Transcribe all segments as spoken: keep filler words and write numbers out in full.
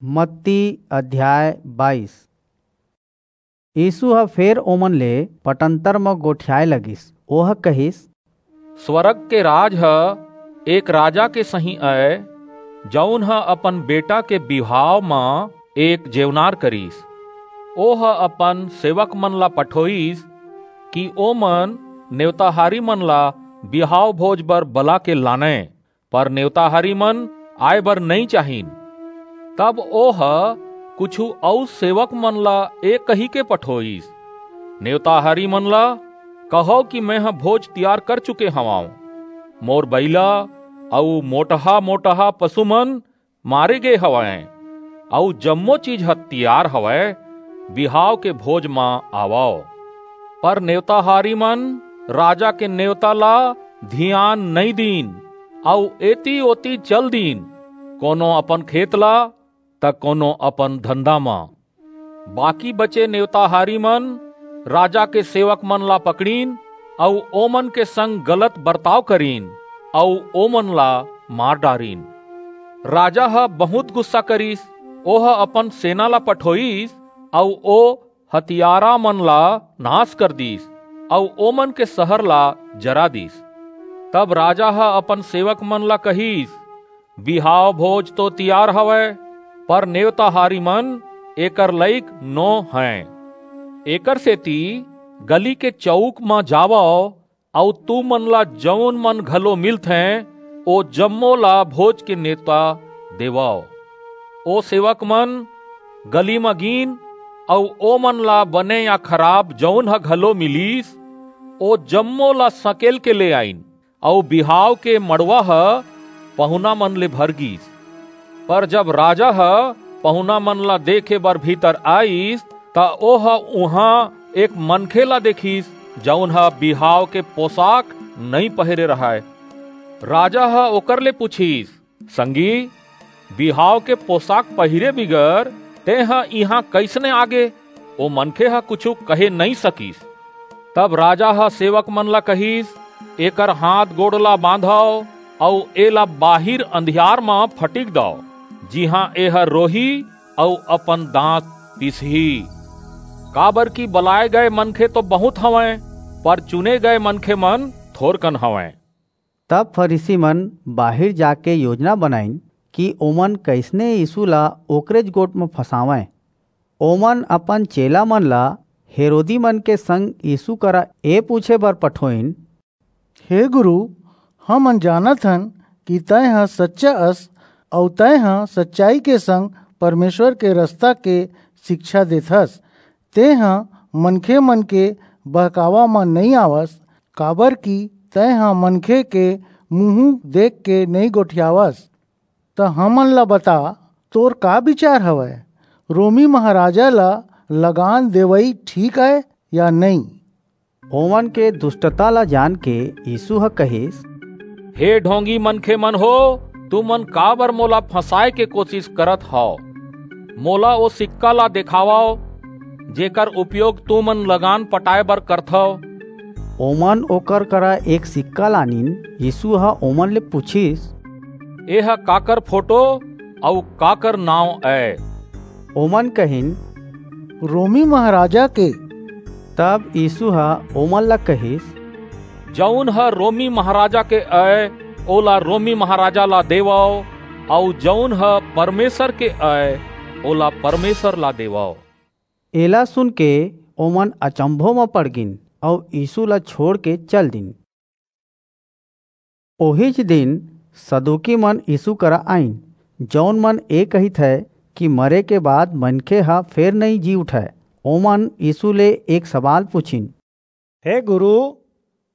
मत्ती अध्याय बाईस। यीसू ह फेर ओमन ले पटंतर म गोठियाय लगिस। ओह कहिस, "स्वरग के राज ह एक राजा के सहीं अय, जऊन ह अपन बेटा के बिहाव म एक जेवनार करिस। ओह अपन सेवकमन ला पठोईस कि ओमन नेवताहारीमन ला बिहाव भोज बर बलाके लानंय, पर नेवताहारीमन आय बर नइं चाहिन। तब ओह कुछू अऊ सेवकमन ला ए कहिके पठोईस, 'नेवताहारीमन ला कहव कि मेंह भोज तियार कर चुके हवंव। मोर बईला अऊ मोटहा-मोटहा पसुमन मारे गे हवंय, अऊ जम्मो चीज ह तियार हवय, बिहाव के भोज म आवव।' पर नेवताहारीमन राजा के नेवता ला धियान नइं दीन, अऊ एती-ओती चल दीन, कोनो अपन खेत ला, त कोनो अपन धंधा म। बाकी बचे नेवताहारीमन राजा के सेवकमन ला पकड़िन अऊ ओमन के संग गलत बरताव करिन अऊ ओमन ला मार डारिन। राजा ह बहुंत गुस्सा करिस। ओह अपन सेना ला पठोईस अऊ ओ हतियारामन ला नास कर दीस अऊ ओमन के सहर ला जरा दीस। तब राजा ह अपन सेवकमन ला कहिस, "बिहाव भोज तो तियार हवय, पर नेवताहारीमन एकर लइक नो हंय। एकरसेति गली के चऊक म जावव अऊ तुमन ला जऊन मन घलो मिलथें, ओ जम्मो ला भोज के नेवता देवव।" ओ सेवकमन गली म गीन अऊ ओमन ला बने या खराब जऊन ह घलो मिलिस, ओ जम्मो ला सकेल के ले आईन, अऊ बिहाव के मड़वा ह पहुनामन ले भर गीस। पर जब राजा ह पहुनामन ला देखे बर भीतर आईस, त ओह उहां एक मनखे ला देखिस, जऊन ह बिहाव के पोसाक नइं पहिरे रहय। राजा ह ओकर ले पुछिस, "संगी, बिहाव के पोसाक पहिरे बिगर तेंह इहां कइसने आगे?" ओ मनखे ह कुछू कहे नइं सकिस। तब राजा ह सेवकमन ला कहिस, "एकर हांथ-गोड़ ला बांधव अऊ एला बाहिर अंधियार म फटिक दव, जिहां एह रोही अऊ अपन दांत पीसही। काबरकि बलाय गय मनखे तो बहुंत हवंय, पर चुने गय मनखेमन थोरकन हवंय।" तब फरीसीमन बाहिर जाके योजना बनाईन कि ओमन कइसने यीसू ला ओकरेच गोठ म फंसावंय। ओमन अपन चेलामन ला हेरोदीमन के संग यीसू करा ए पूछे बर पठोईन, "हे गुरू, हमन जानत हन कि तंय ह सच्चा अस, अऊ तंय ह सच्चाई के संग परमेसर के रसता के सिकछा देथस। तेंह मनखेमन के बहकावा म नइं आवस, काबरकि तंय ह मनखे के मुहूं देखके नइं गोठियावस। त हमन ला बता, तोर का बिचार हवय? रोमी महाराजा ला लगान देवई ठीक अय या नइं?" ओमन के दुस्टता ला जानके यीसू ह कहिस, "हे ढोंगी मनखेमन हो, तुमन काबर मोला फंसाय के कोसिस करत हव? मोला ओ सिक्का ला देखावव, जेकर उपयोग तुमन लगान पटाय बर करथव।" ओमन ओकर करा एक सिक्का लानिन। यीसू ह ओमन ले पुछिस, "एह काकर फोटो अऊ काकर नांव अय?" ओमन कहिन, "रोमी महाराजा के।" तब यीसू ह ओमन ला कहिस, "जऊन ह रोमी महाराजा के अय, ओला रोमी महाराजा ला देवव, अऊ जऊन ह परमेसर के अय, ओला परमेसर ला देवव।" एला सुनके ओमन अचंभो म पड़ गीन अऊ यीसू ला छोंड़के चल दीन। ओहीच दिन सदूकीमन यीसू करा आईन, जऊन मन ए कहिथंय कि मरे के बाद मनखे ह फेर नइं जी उठय। ओमन यीसू ले एक सवाल पुछिन, "हे गुरू,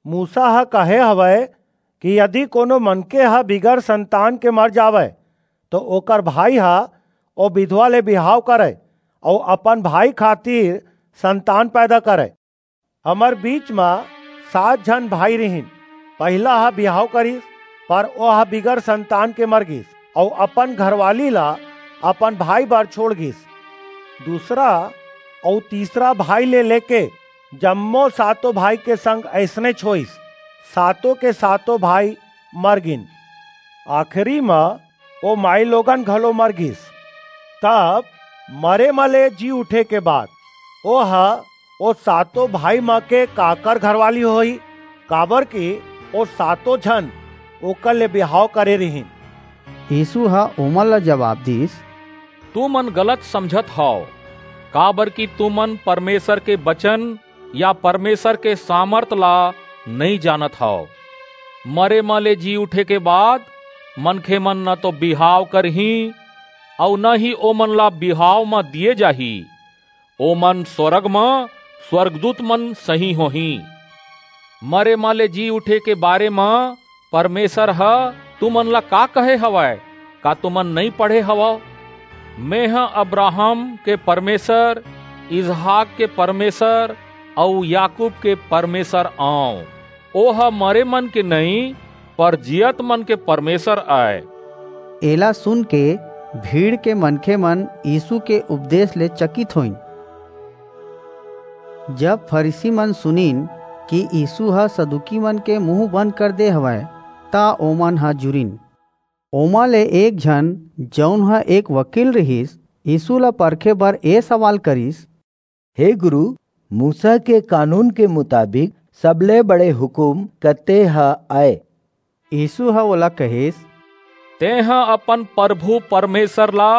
मूसा ह कहे हवय कि यदि कोनो मनखे ह बिगर संतान के मर जावय, तो ओकर भाई ह ओ बिधवा ले बिहाव करय अऊ अपन भाई खातिर संतान पैदा करय। हमर बीच म सात झन भाई रिहिन। पहिला ह बिहाव करिस, पर ओह बिगर संतान के मर गीस, अऊ अपन घरवाली ला अपन भाई बर छोंड़ गीस। दूसरा अऊ तीसरा भाई ले लेके जम्मो सातों भाई के संग अइसनेच होईस। सातों के सातों भाई मर गीन। आखिरी म ओ माईलोगन घलो मर गीस।" तब मरे म ले जी उठे के बाद ओह ओ सातों भाई म के काकर घरवाली होही, काबर कि ओ सातों झन ओकर ले बिहाव करे रिहिन। यीशु ह ओमन ला जवाब दीस, तुमन गलत समझत हव, काबर कि तुमन परमेसर के बचन या परमेसर के सामरथ ला नइं जानत हव। मरे म ले जी उठे के बाद मनखेमन न तो बिहाव करहीं, अऊ न ही ओमन ला बिहाव म दिये जाही। ओमन स्वरग म स्वरगदूतमन सहीं होहीं। मरे म ले जी उठे के बारे म परमेसर ह तुमन ला का कहे हवय? का तुमन नइं पढ़े हवव? मेंह अब्राहम के परमेसर, इसहाक के परमेसर अऊ याकूब के परमेसर अंव। ओह मरे मन के नइं, पर जियत मन के परमेसर अय। एला सुनके भीड़ के मनखेमन यीसू के उपदेस ले चकित होईन। जब फरीसीमन सुनिन कि यीसू ह सदूकीमन के मुहूं बंद कर दे हवय, त ओमन ह जुरिन। ओमा ले एक झन, जऊन ह एक वकील रिहिस, यीसू ला परखे बर ए सवाल करिस, हे गुरू, मूसा के कानून के मुताबिक सबले बड़े हुकूम कते ह अय? यीसू ह ओला कहिस, तेंह अपन परभू परमेसर ला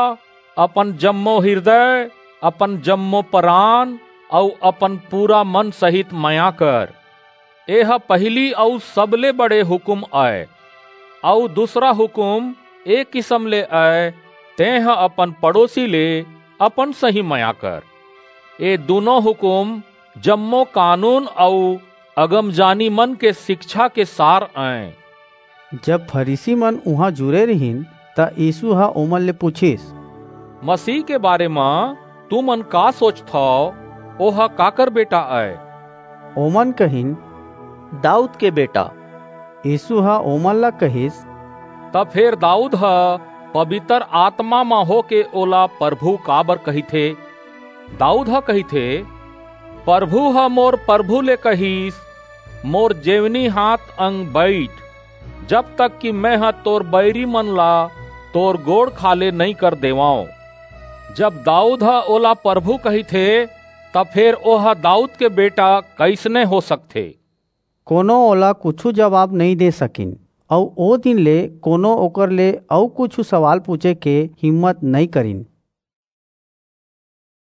अपन जम्मो हिरदय, अपन जम्मो परान अऊ अपन पूरा मन सहित मया कर। एह पहिली अऊ सबले बड़े हुकूम अय। अऊ दूसरा हुकूम ए किसम ले अय, तेंह अपन पड़ोसी ले अपन सहीं मया कर। ए दूनों हुकूम जम्मो कानून अऊ अगमजानीमन के सिकछा के सार अंय। जब फरीसीमन उहां जुरे रिहिन, त यीसू ह ओमन ले पुछिस, मसीह के बारे म तुमन का सोचथव? ओह काकर बेटा अय? ओमन कहिन, दाऊद के बेटा। यीसू ह ओमन ला कहिस, त फेर दाऊद ह पबितर आतमा म होके ओला परभू काबर कहिथे? दाऊद ह कहिथे, परभू ह मोर परभू ले कहिस, मोर जेवनी हांथ अंग बईठ, जब तक कि मेंह तोर बईरीमन ला तोर गोड़ खाल्हे नइं कर देवंव। जब दाऊद ह ओला परभू कहिथे, त फेर ओह दाऊद के बेटा कइसने हो सकथे? कोनो ओला कुछू जबाब नइं दे सकिन, अऊ ओ दिन ले कोनो ओकर ले अऊ कुछू सवाल पुछे के हिम्मत नइं करिन।